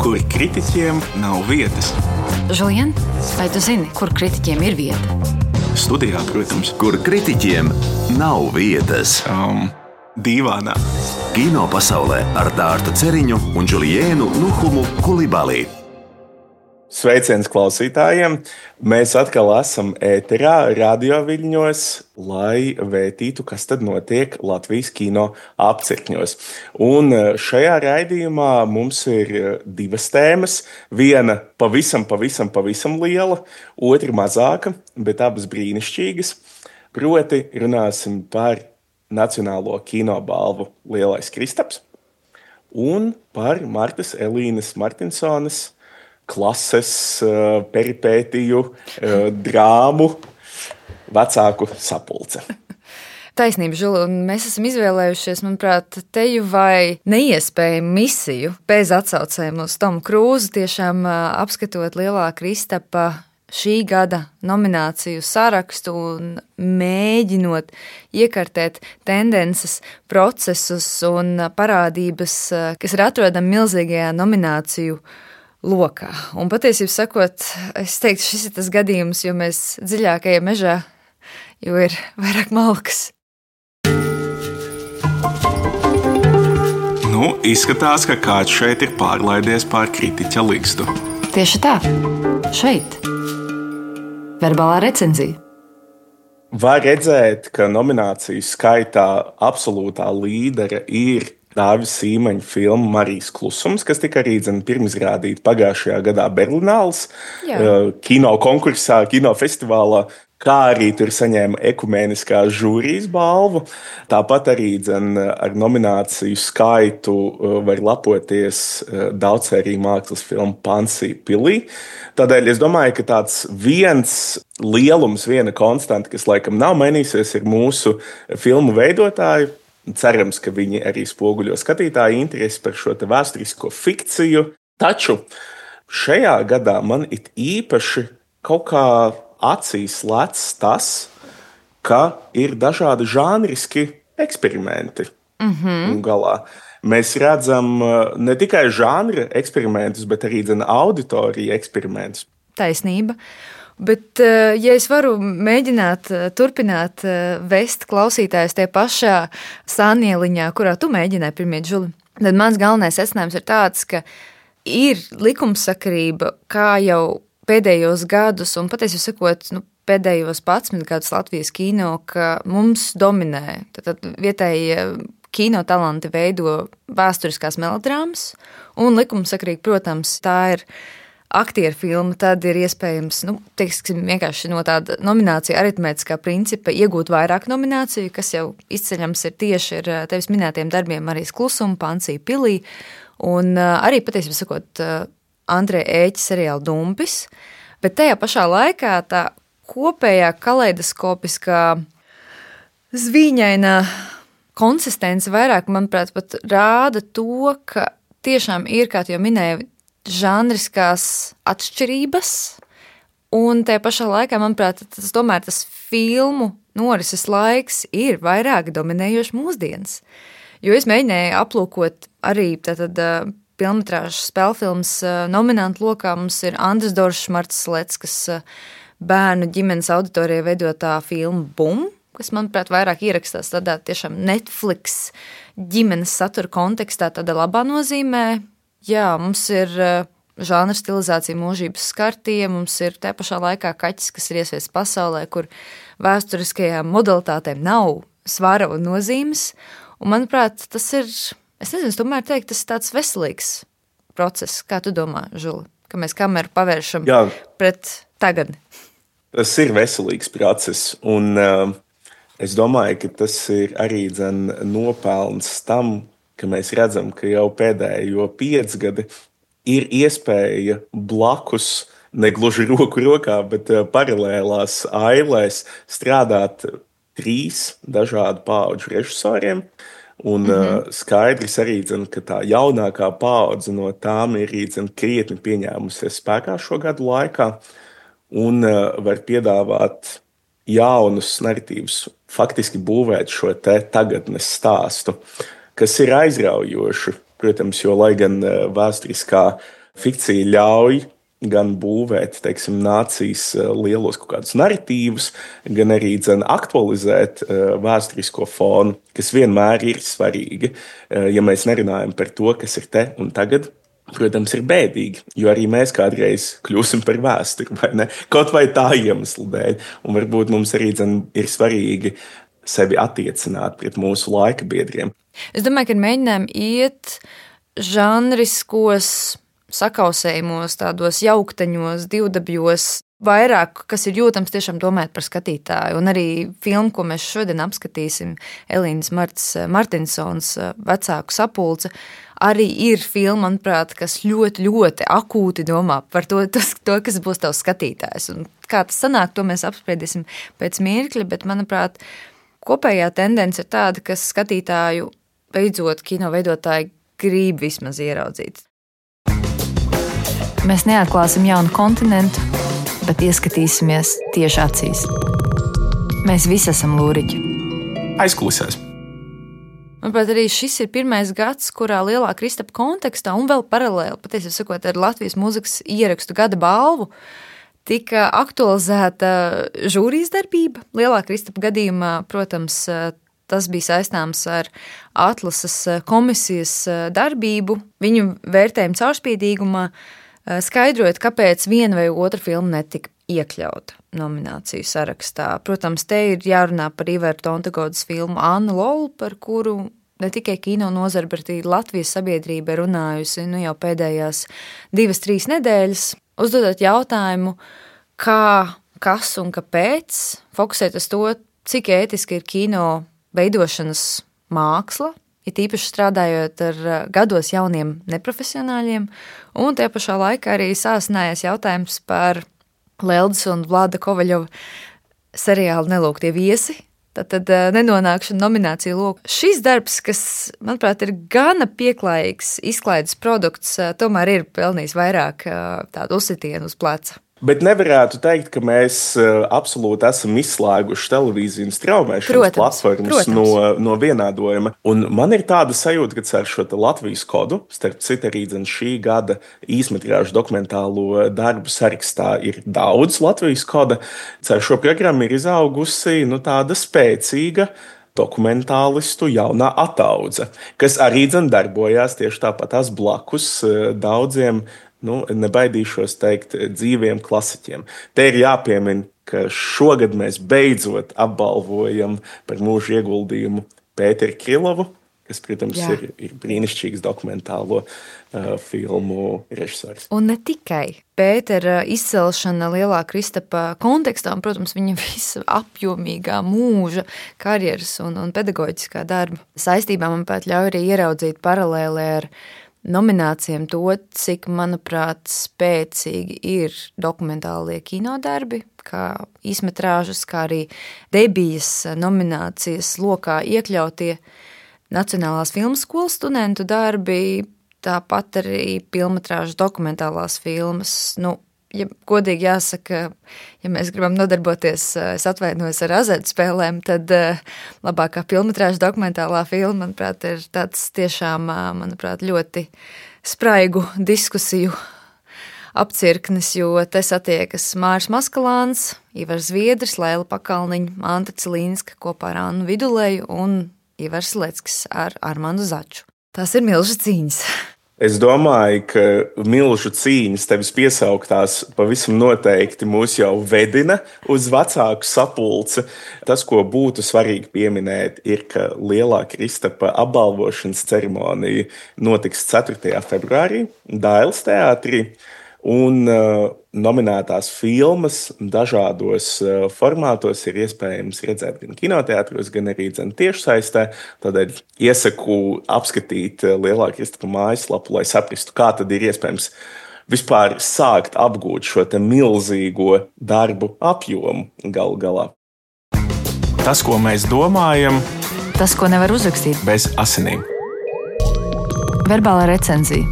kur kritiķiem nav vietas. Žulien, vai tu zini, kur kritiķiem ir vieta? Studijā, protams. Kur kritiķiem nav vietas. Dīvānā. Kino pasaulē ar Dārtu Ceriņu un Džuliēnu Nuhumu Kulibali. Sveiciens klausītājiem! Mēs atkal esam ēterā, radioviļņos, lai vētītu, kas tad notiek Latvijas kino apcirkņos. Un šajā raidījumā mums ir divas tēmas. Viena pavisam liela, otra mazāka, bet abas brīnišķīgas. Proti runāsim par Nacionālo kinobalvu Lielais Kristaps un par Martas Elīnes Martinsones klases peripētiju, drāmu, vecāku sapulce. Taisnība, Žuli, un mēs esam izvēlējušies, manuprāt, teju vai neiespējamu misiju bez atsaucēm uz Tomu Krūzu, tiešām apskatot Lielā Kristapa šī gada nomināciju sarakstu un mēģinot iekartēt tendences, procesus un parādības, kas ir atrodami milzīgajā nomināciju lokā. Un patiesībā sakot, es teiktu, šis ir tas gadījums, jo mēs dziļākajā mežā, jo ir vairāk malkas. Izskatās, ka kāds šeit ir pārlaidies pār kritiķa ligzdu. Tieši tā, šeit. Verbālā recenzija. Var redzēt, ka nomināciju skaitā absolūtā līdere ir Dāvis Sīmaņa filma Marijas klusums, kas tika arī pirmizrādīta pagājušajā gadā Berlināles kino konkursā, kinofestivālā, kā arī tur saņēma ekumēniskā žūrijas balvu. Tāpat arī ar nomināciju skaitu var lepoties daudzsēriju mākslas filma Pansija pilī. Tādēļ es domāju, ka tāds viens lielums, viena konstanta, kas laikam nav mainīsies, ir mūsu filmu veidotāju. Cerams, ka viņi arī spoguļo skatītāju interesi par šo vēsturisko fikciju. Taču šajā gadā man it īpaši kaut kā acīs lec tas, ka ir dažādi žanriski eksperimenti. Galā. Mēs redzam ne tikai žanra eksperimentus, bet arī auditoriju eksperimentus. Taisnība. Bet, ja es varu mēģināt turpināt vest klausītājus tie pašā sānieliņā, kurā tu mēģināji pirmie, Žuli, tad mans galvenais secinājums ir tāds, ka ir likumsakarība, kā jau pēdējos gadus, un patiesībā sakot, pēdējos 11 gadus Latvijas kino, ka mums dominē. Tad vietēji kino talanti veido vēsturiskās melodrāmas, un likumsakarīgi, protams, tā ir aktieru filma, tad ir iespējams, teiksim, vienkārši no tāda nominācija aritmētiskā principa iegūt vairāk nomināciju, kas jau izceļams ir tieši ar tevis minētiem darbiem Marijas klusuma, Pansija pilī, un arī patiesībā sakot Andreja Ēķa seriāla Dumpis, bet tajā pašā laikā tā kopējā kaleidoskopiskā zvīņainā konsistence vairāk, manuprāt, pat rāda to, ka tiešām ir, kā tu jau minēji, žanriskās atšķirības, un tajā pašā laikā, manuprāt, tas filmu norises laiks ir vairāk dominējoši mūsdienas. Jo es mēģināju aplūkot arī filmmetrāžas spēlfilmas nominantu lokā. Mums ir Andris Doršs, Martas Leckas bērnu ģimenes auditorijai veidotā filma Bum, kas, manuprāt, vairāk ierakstās tādā tiešām Netflix ģimenes satura kontekstā, tādā labā nozīmē. Jā, mums ir žanra stilizācija mūžības skartie, mums ir tajā pašā laikā kaķis, kas ir iesviests pasaulē, kur vēsturiskajām modalitātēm nav svara un nozīmes. Un, manuprāt, tas ir, es nezinu, tomēr teikt, tas ir tāds veselīgs process. Kā tu domā, Žuli, ka mēs kameru pavēršam pret tagad? Tas ir veselīgs process, un es domāju, ka tas ir arī nopelns tam, ka mēs redzam, ka jau pēdējo 5 gadi ir iespēja blakus, negluži roku rokā, bet paralēlās ailēs strādāt 3 dažādu paudžu režisoriem. Un skaidrs arī, ka tā jaunākā paudze no tām ir krietni pieņēmusies spēkā šo gadu laikā un var piedāvāt jaunus narratīvus, faktiski būvēt šo tagadnes stāstu, kas ir aizraujoši, protams, jo lai gan vēsturiskā fikcija ļauj gan būvēt, teiksim, nācijas lielos kaut kādus narratīvus, gan arī aktualizēt vēsturisko fonu, kas vienmēr ir svarīgi. Ja mēs nerunājam par to, kas ir te un tagad, protams, ir bēdīgi, jo arī mēs kādreiz kļūsim par vēsturi, vai ne? Kaut vai tā iemesla dēļ. Un varbūt mums arī ir svarīgi sevi attiecināt pret mūsu laika biedriem. Es domāju, ka mēģinājumi iet žanriskos sakausējumos, tādos jauktaņos, divdabjos, vairāk, kas ir jūtams tiešām domājot par skatītāju. Un arī filmu, ko mēs šodien apskatīsim, Elīnas Martinsons vecāku sapulce, arī ir filma, manuprāt, kas ļoti, ļoti akūti domā par to, kas būs tavs skatītājs. Un kā tas sanāk, to mēs apspriedīsim pēc mirkļa, bet, manuprāt, kopējā tendence ir tāda, ka skatītāju beidzot kino veidotāji grib vismaz ieraudzīt. Mēs neatklāsim jaunu kontinentu, bet ieskatīsimies tieši acīs. Mēs visi esam lūriķi. Aizkulisēs. Manuprāt, arī šis ir pirmais gads, kurā Lielā Kristapa kontekstā un vēl paralēli, patiesībā sakot, ar Latvijas mūzikas ierakstu gada balvu, tika aktualizēta žūrijas darbība. Lielā Kristapa gadījumā, protams, tas bija saistāms ar atlases komisijas darbību, viņu vērtējumu caurspīdīgumā, skaidrojot, kāpēc viena vai otra filma netika iekļauta nomināciju sarakstā. Protams, te ir jārunā par Iveru Tontagodas filmu Anna Lolu, par kuru ne tikai kino nozara, bet arī Latvijas sabiedrība ir runājusi jau pēdējās 2-3 nedēļas, uzdodot jautājumu, kā, kas un kāpēc, fokusēt uz to, cik ētiski ir kino veidošanas māksla, it īpaši strādājot ar gados jauniem neprofesionāļiem, un tie pašā laikā arī sāsinājies jautājums par Leldas un Vlada Kovaļova seriālu Nelūgtie viesi, tad nenonākšana nomināciju lokā. Šis darbs, kas, manuprāt, ir gana pieklājīgs izklaides produkts, tomēr ir pelnījis vairāk tādu uzsitienu uz pleca. Bet nevarētu teikt, ka mēs absolūti esam izslēguši televīziju un straumēšanas platformas no vienādojuma. Un man ir tāda sajūta, ka ar šo Latvijas kodu, starp citu arī šī gada īsmetrāžu dokumentālo darbu sarakstā ir daudz Latvijas koda, ar šo programmu ir izaugusi tāda spēcīga dokumentālistu jaunā ataudze, kas arī darbojās tieši tāpatās blakus daudziem, nebaidīšos teikt, dzīviem klasiķiem. Te ir jāpiemina, ka šogad mēs beidzot apbalvojam par mūža ieguldījumu Pēteru Krilovu, kas, protams, ir brīnišķīgs dokumentālo filmu režisors. Un ne tikai Pētera izcelšana Lielā Kristapa kontekstā, un, protams, viņa visa apjomīgā mūža, karjeras un pedagoģiskā darba saistībā, manuprāt, ļauj arī ieraudzīt paralēli ar nominācijām to, cik, manuprāt, spēcīgi ir dokumentālie kinodarbi, kā īsmetrāžas, kā arī debijas nominācijas lokā iekļautie Nacionālās filmas skolas studentu darbi, tāpat arī filmetrāžas dokumentālās filmas. Ja godīgi jāsaka, ja mēs gribam nodarboties, es atvainojos ar azartspēlēm, tad labākā filmetrāža dokumentālā filma, manuprāt, ir tāds tiešām, manuprāt, ļoti spraigu diskusiju apcirknis, jo te satiekas Māris Maskalāns, Ivars Zviedris, Laila Pakalniņa, Anta Cilīnska kopā ar Annu Vidulēju un Ivars Leckis ar Armandu Začu. Tās ir milža cīņas. Es domāju, ka milžu cīņas tevis piesauktās pavisam noteikti mūs jau vedina uz vecāku sapulci. Tas, ko būtu svarīgi pieminēt, ir, ka Lielā Kristapa apbalvošanas ceremonija notiks 4. februārī Dailes teātrī. Un nominētās filmas dažādos formātos ir iespējams redzēt gan kinoteātros, gan arī tiešsaistē. Tādēļ iesaku apskatīt Lielā Kristapa mājaslapu, lai saprastu, kā tad ir iespējams vispār sākt apgūt šo milzīgo darbu apjomu galu galā. Tas, ko mēs domājam, tas, ko nevar uzrakstīt bez asinīm. Verbālā recenzija.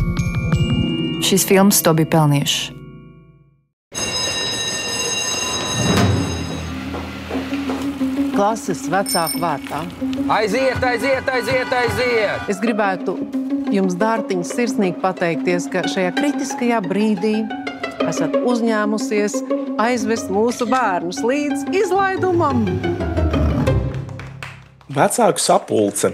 Šīs filmas to bija pelnījušas. Klases vecāku vārtā. Aiziet! Es gribētu jums, dārtiņas, sirsnīgi pateikties, ka šajā kritiskajā brīdī esat uzņēmusies aizvest mūsu bērnus līdz izlaidumam. Vecāku sapulce.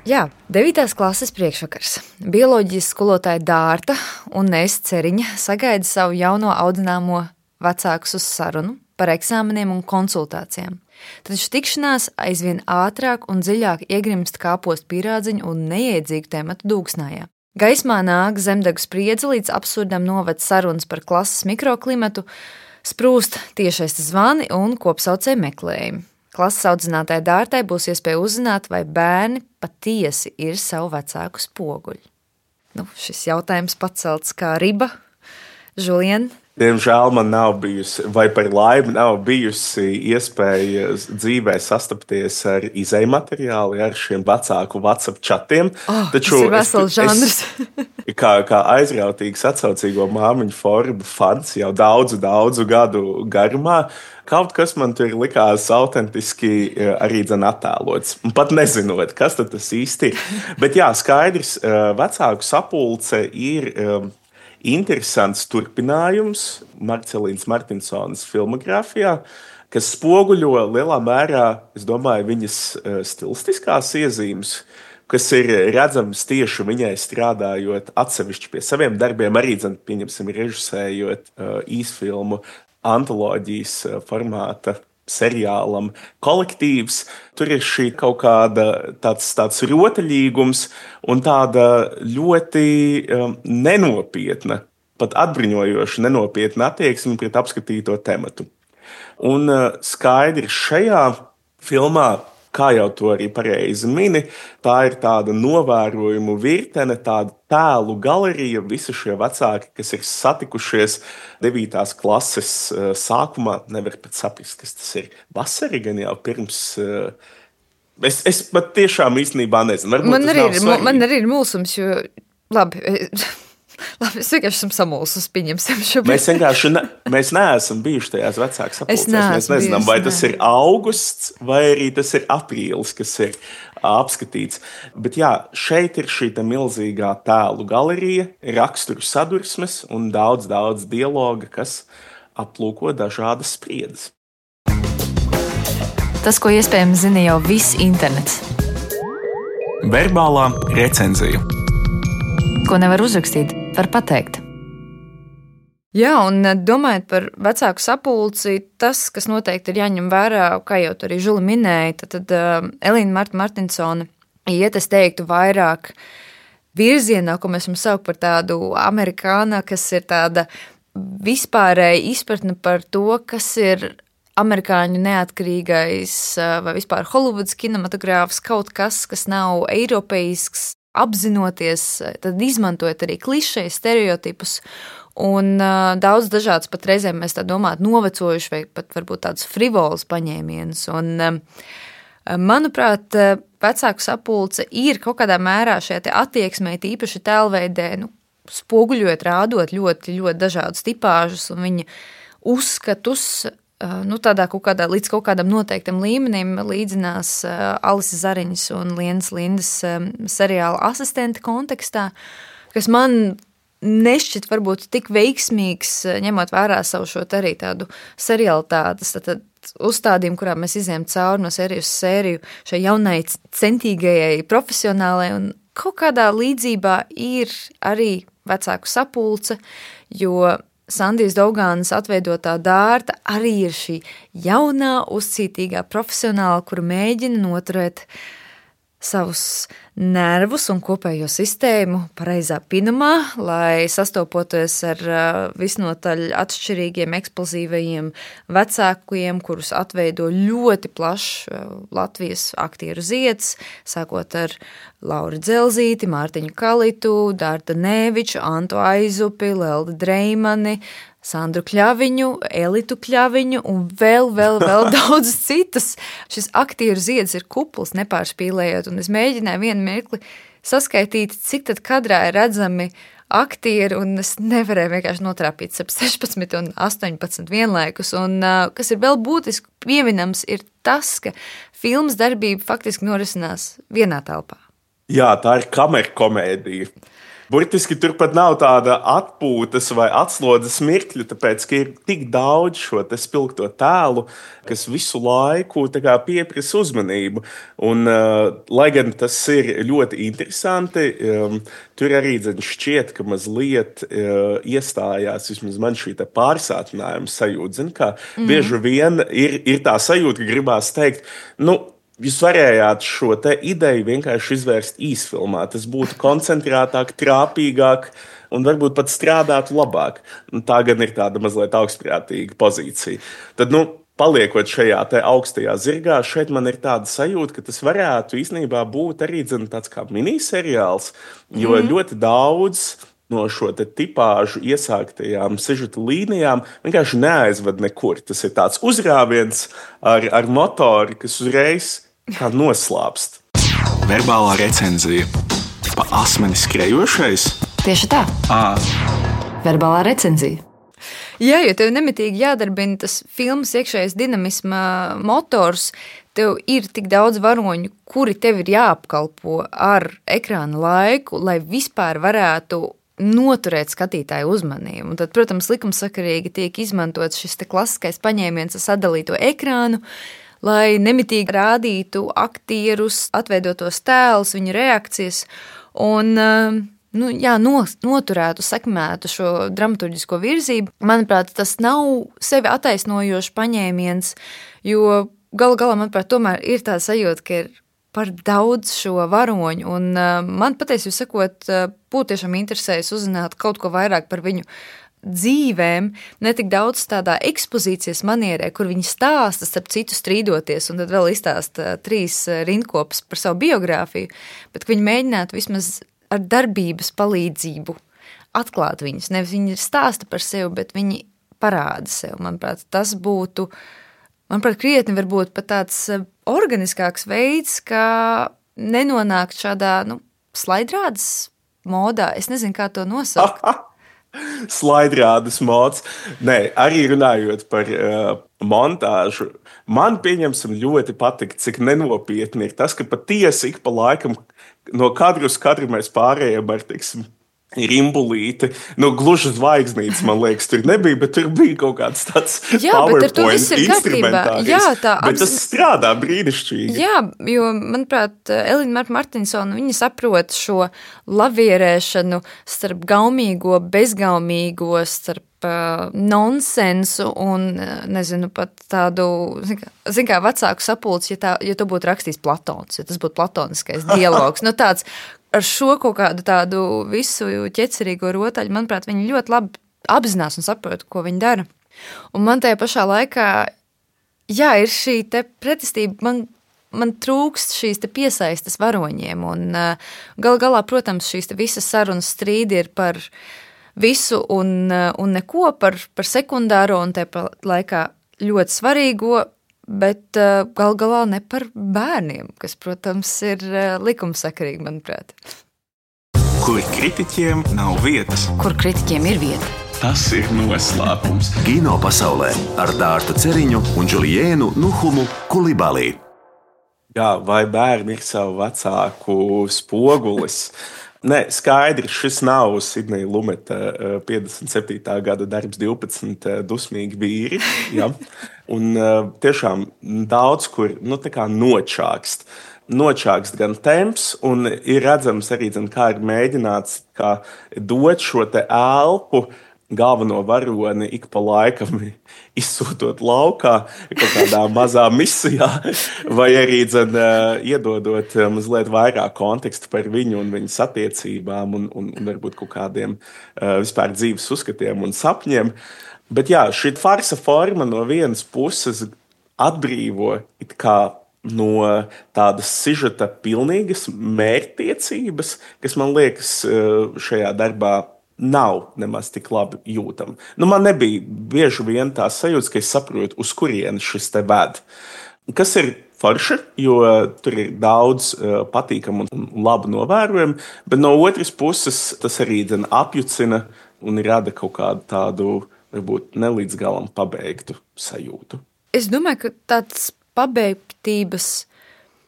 Jā, 9. klases priekšvakars. Bioloģijas skolotāja Dārta un es, Ceriņa, sagaida savu jauno audzināmo vecākus uz sarunu par eksāmeniem un konsultācijām. Taču tikšanās aizvien ātrāk un dziļāk iegrimst kāpost pīrādziņu un neiedzīgu tematu dūksnājā. Gaismā nāk zemdegu spriedze līdz absurdam noved sarunas par klases mikroklimatu, sprūst tiešais zvani un kopsaucēju meklējumi. Klases audzinātāja Dārtai būs iespēja uzzināt, vai bērni patiesi ir savu vecāku spoguļi. Šis jautājums pacelts kā riba. Julien? Diemžēl man nav bijusi, vai par laimi nav bijusi iespēja dzīvē sastapties ar izejmateriālu, ar šiem vecāku WhatsApp chatiem. Taču tas ir vesels žanrs. Kā aizrautīgs atsaucīgo māmiņu formu fans jau daudzu gadu garumā, kaut kas man tur likās autentiski arī attēlots. Pat nezinot, kas tas īsti ir. Bet jā, skaidrs, vecāku sapulce ir interesants turpinājums Marcelīnas Martinsonas filmogrāfijā, kas spoguļo lielā mērā, es domāju, viņas stilistiskās iezīmes, kas ir redzamas tieši viņai strādājot atsevišķi pie saviem darbiem, arī, pieņemsim, režisējot īsfilmu antoloģijas formāta seriālam Kolektīvs. Tur ir šī kaut kāda tāds rotaļīgums un tāda ļoti nenopietna, pat atbruņojoša nenopietna attieksme pret apskatīto tematu. Un skaidri šajā filmā, kā jau to arī pareizi mini, tā ir tāda novērojumu virtene, tāda tēlu galerija, visi šie vecāki, kas ir satikušies 9. klases sākumā, nevar pat saprast, kas tas ir. Vasari gan jau pirms. Es pat tiešām īstenībā nezinu. Man arī ir mulsums, jo labi, es vienkārši esmu samulsus, pieņemsim šobrīd. Mēs neesam bijuši tajās vecāku sapulcēs. Mēs nezinām, vai tas ir augusts vai arī tas ir aprīlis, kas ir apskatīts. Bet jā, šeit ir šī milzīgā tēlu galerija, raksturu sadursmes un daudz dialoga, kas aplūko dažādas spriedzes. Tas, ko iespējams zina jau viss internets. Verbālā recenzija. Ko nevar uzrakstīt, var pateikt. Jā, un domājot par vecāku sapulci, tas, kas noteikti ir jāņem vērā, kā jau tu arī Žuli minēja, tad Elīna Martinsone iet, es teiktu, vairāk virzienā, ko mēs varam saukt par tādu amerikāna, kas ir tāda vispārēja izpratne par to, kas ir amerikāņu neatkarīgais vai vispār Holivudas kinematogrāfs, kaut kas nav eiropeisks, apzinoties, tad izmantojot arī klišejas, stereotipus un daudz dažādas pat reizēm mēs tā domātu novecojuši vai pat varbūt tādus frivolus paņēmienus. Un, manuprāt, vecāku sapulce ir kaut kādā mērā šajā te attieksmē, tīpaši tēlveidē, spoguļot, rādot ļoti dažādus tipāžus un viņa uzskatus, tādā līdz kaut kādam noteiktam līmenim līdzinās Alisa Zariņas un Lienas Lindas seriāla asistenta kontekstā, kas man nešķiet varbūt tik veiksmīgs, ņemot vērā savu šo arī tādu serialitātes uzstādījumu, kurā mēs izējām cauri no sēriju uz sēriju šai jaunai centīgajai profesionālai, un kaut kādā līdzībā ir arī vecāku sapulce, jo Sandijas Daugānas atveidotā Dārta arī ir šī jaunā, uzcītīgā profesionāla, kura mēģina noturēt savus nervus un kopējo sistēmu pareizā pinumā, lai sastopoties ar visnotaļ atšķirīgiem, eksplozīvajiem vecākiem, kurus atveido ļoti plašs Latvijas aktieru zieds, sākot ar Lauru Dzelzīti, Mārtiņu Kalitu, Dārta Nēviču, Antu Aizupi, Leldi Dreimani, Sandru Kļaviņu, Elitu Kļaviņu un vēl daudz citus. Šis aktieru zieds ir kupls, nepārspīlējot, un es mēģināju vienu mirkli saskaitīt, cik tad kadrā ir redzami aktieri, un es nevarēju vienkārši notrāpīt 16 un 18 vienlaikus, un kas ir vēl būtiski pieminams, ir tas, ka filmas darbība faktiski norisinās vienā telpā. Jā, tā ir kamerkomēdija. Burtiski turpat nav tāda atpūtas vai atslodzes mirkļa, tāpēc, ka ir tik daudz šo te spilgto tēlu, kas visu laiku pieprasa uzmanību. Un, lai gan tas ir ļoti interesanti, tur arī šķiet, ka mazliet iestājās vismaz man šī pārsātinājuma sajūta. Bieži vien ir tā sajūta, ka gribās teikt, jūs varējāt šo te ideju vienkārši izvērst īsfilmā. Tas būtu koncentrētāk, trāpīgāk un varbūt pat strādātu labāk. Tā gan ir tāda mazliet augstprātīga pozīcija. Tad, paliekot šajā te augstajā zirgā, šeit man ir tāda sajūta, ka tas varētu īstenībā būt arī tāds kā miniseriāls, jo ļoti daudz no šo tipāžu iesāktajām sižeta līnijām vienkārši neaizved nekur. Tas ir tāds uzrāviens ar motoru, kas uzreiz kā noslāpst. Verbālā recenzija. Pa asmeni skrejošais? Tieši tā. Verbālā recenzija. Jā, jo tev nemitīgi jādarbina tas filmas iekšējais dinamisma motors, tev ir tik daudz varoņu, kuri tev ir jāapkalpo ar ekrāna laiku, lai vispār varētu noturēt skatītāju uzmanību. Un tad, protams, likumsakarīgi tiek izmantots šis klasiskais paņēmiens ar sadalīto ekrānu, lai nemitīgi rādītu aktierus, atveidotos tēlus, viņu reakcijas un noturētu, sekmētu šo dramaturģisko virzību. Manuprāt, tas nav sevi attaisnojošs paņēmiens, jo galu galā, manuprāt, tomēr ir tā sajūta, ka ir par daudz šo varoņu, un man patiesībā sakot, būtu tiešām interesējis uzzināt kaut ko vairāk par viņu dzīvēm, ne tik daudz tādā ekspozīcijas manierē, kur viņi stāsta, starp citu strīdoties, un tad vēl izstāsta 3 rindkopas par savu biogrāfiju, bet viņi mēģinātu vismaz ar darbības palīdzību atklāt viņus. Nevis viņi stāsta par sevi, bet viņi parāda sevi. Manuprāt, tas būtu krietni varbūt pat tāds organiskāks veids, kā nenonākt šādā, slaidrādes modā. Es nezinu, kā to nosaukt. Slaidrādes mods. Nē, arī runājot par montāžu, man pieņemsim ļoti patīk, cik nenopietni ir tas, ka patiesi ik pa laikam no kadru uz kadru mēs pārējām ar, rimbulīti. Gluži zvaigznītes, man liekas, tur nebija, bet tur bija kaut kāds tāds PowerPoint instrumentārijs. Bet tas strādā brīnišķīgi. Jā, jo, manuprāt, Elina Martinsona, viņa saprot šo lavierēšanu starp gaumīgo, bezgaumīgo, starp nonsensu un, nezinu, pat tādu, zin kā vecāku sapulci, ja to būtu rakstījis Platons, ja tas būtu platoniskais dialogs. Tāds ar šo kaut kādu tādu visu ķecerīgo rotaļu, manuprāt, viņi ļoti labi apzinās un saprot, ko viņi dara. Un man tajā pašā laikā, ir šī te pretestība, man trūkst šīs te piesaistes varoņiem, un galā, protams, šīs te visas sarunas strīdi ir par visu un neko, par sekundāro un tajā laikā ļoti svarīgo, bet galā ne par bērniem, kas, protams, ir likumsakarīgi, manuprāt. Kur kritiķiem nav vietas. Kur kritiķiem ir vieta. Tas ir noslēpums. Kino pasaulē ar Dārtu Ceriņu un Džuliēnu Nuhumu Kulibalī. Jā, vai bērni ir savu vecāku spogulis? Nē, skaidrs, šis nav Sidneja Lumeta 57. gada darbs 12 dusmīgi vīri. Ja? Un tiešām daudz kur nočākst. Nočākst gan temps, un ir redzams arī, kā ir mēģināts dot šo te elpu galveno varoni ik pa laikam izsūtot laukā kaut kādā mazā misijā, vai arī iedodot mazliet vairāk kontekstu par viņu un viņas attiecībām un varbūt kaut kādiem vispār dzīves uzskatiem un sapņiem. Bet jā, šī farsa forma no vienas puses atbrīvo it kā no tādas sižeta pilnīgas mērķtiecības, kas man liekas šajā darbā nav nemaz tik labi jūtama. Man nebija bieži vien tā sajūta, ka es saprotu, uz kurieni šis te ved. Kas ir forši, jo tur ir daudz patīkamu un labu novērojumu, bet no otras puses tas arī apjucina un rada kaut kādu tādu, varbūt nelīdz galam pabeigtu sajūtu. Es domāju, ka tāds pabeigtības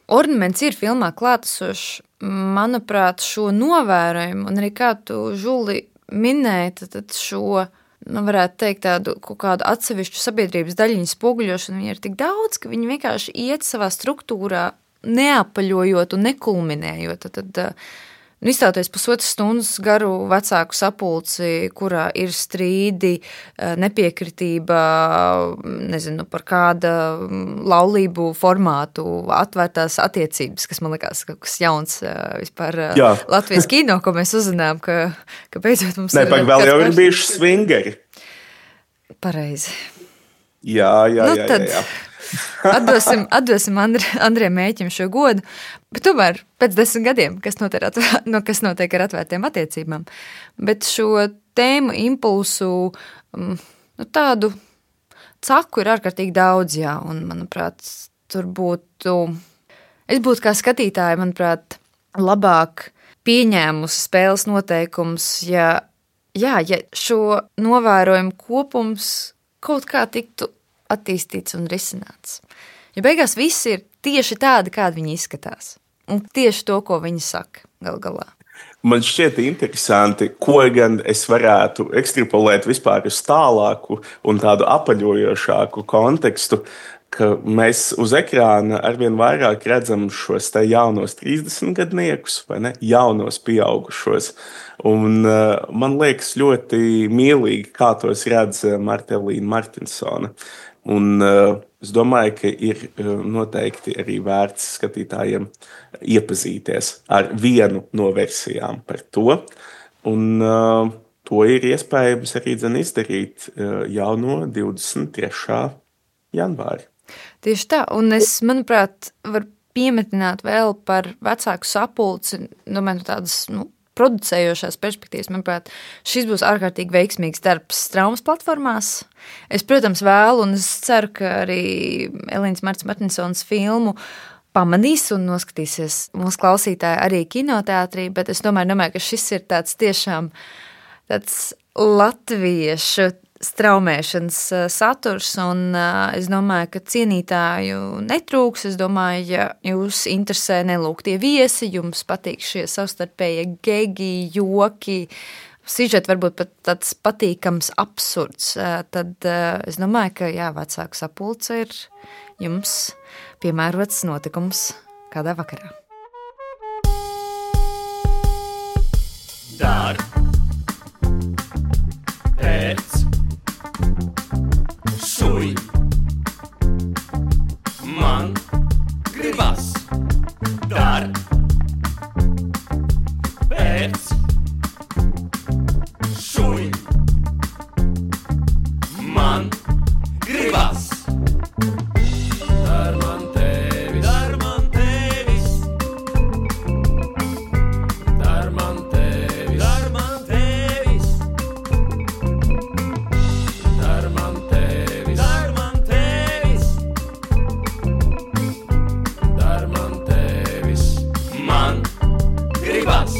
ornaments ir filmā klātesošs. manuprāt, šo novērojumu, un arī kā tu, Žuli, minēji, tad šo, varētu teikt, tādu kaut kādu atsevišķu sabiedrības daļiņu spoguļošanu, viņi ir tik daudz, ka viņi vienkārši iet savā struktūrā, neapaļojot un nekulminējot. Tad izstāties pusotras stundas garu vecāku sapulci, kurā ir strīdi, nepiekritība, nezinu, par kāda laulību formātu, atvērtās attiecības, kas man likās kaut kas jauns vispār Latvijas kino, ko mēs uzzinām, ka beidzot mums ir... Vēl jau ir bijuši swingeri. Pareizi. Jā. Atdosim Andriem Mēķim šo godu, bet tomēr pēc 10 gadiem, kas notiek ar atvērtiem attiecībām. Bet šo tēmu impulsu, tādu caku ir ārkārtīgi daudz, un, manuprāt, tur es būtu kā skatītāja, manuprāt, labāk pieņēmusi spēles noteikums, ja šo novērojumu kopums kaut kā tiktu attīstīts un risināts. Jo beigās viss ir tieši tādi, kādi viņi izskatās. Un tieši to, ko viņi saka gal galā. Man šķiet interesanti, ko gan es varētu ekstrapolēt vispār uz tālāku un tādu apaļojošāku kontekstu, ka mēs uz ekrāna arvien vairāk redzam šos te jaunos 30-gadniekus, vai ne? Jaunos pieaugušos. Un man liekas ļoti mīlīgi, kā tos redz Martelīna Martinsona. Un es domāju, ka ir noteikti arī vērts skatītājiem iepazīties ar vienu no versijām par to. Un to ir iespējams arī izdarīt jau no 23. janvāra. Tieši tā, un es, manuprāt, varu piemetināt vēl par vecāku sapulci, domāju, tādas, producējošās perspektīvas, manuprāt, šis būs ārkārtīgi veiksmīgs darbs Straumas platformās. Es, protams, vēlu, un es ceru, ka arī Elīnas Martinsons filmu pamanīs un noskatīsies mūsu klausītāji arī kinoteātrī, bet es domāju, ka šis ir tāds tiešām tāds latviešu straumēšanas saturs, un es domāju, ka cienītāju netrūks. Es domāju, ja jūs interesē nelūgtie viesi, jums patīk šie savstarpējie gegi, joki, sižeti varbūt pat tāds patīkams absurds, tad es domāju, ka vecāku sapulce ir jums piemērots notikums kādā vakarā. Dar, pēc, šuj, man gribas. Dar, pēc, šuj, man gribas. Dar man tevis, dar man tevis, dar man tevis, dar man tevis, dar man tevis, dar man tevis, dar man tevis, man gribas.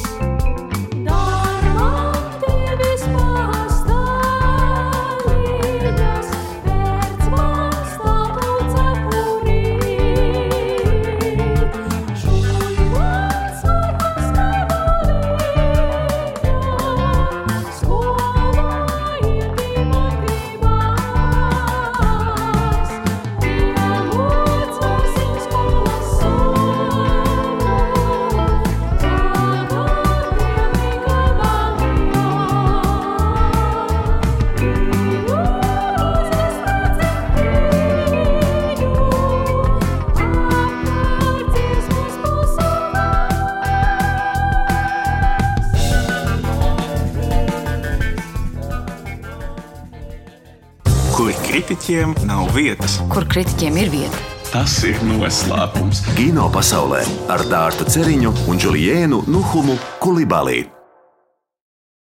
Kur kritiķiem nav vietas. Kur kritiķiem ir vieta? Tas ir noslēpums. Kino pasaulē ar Dārtu Ceriņu un Džuliēnu Nuhumu Kulibalī.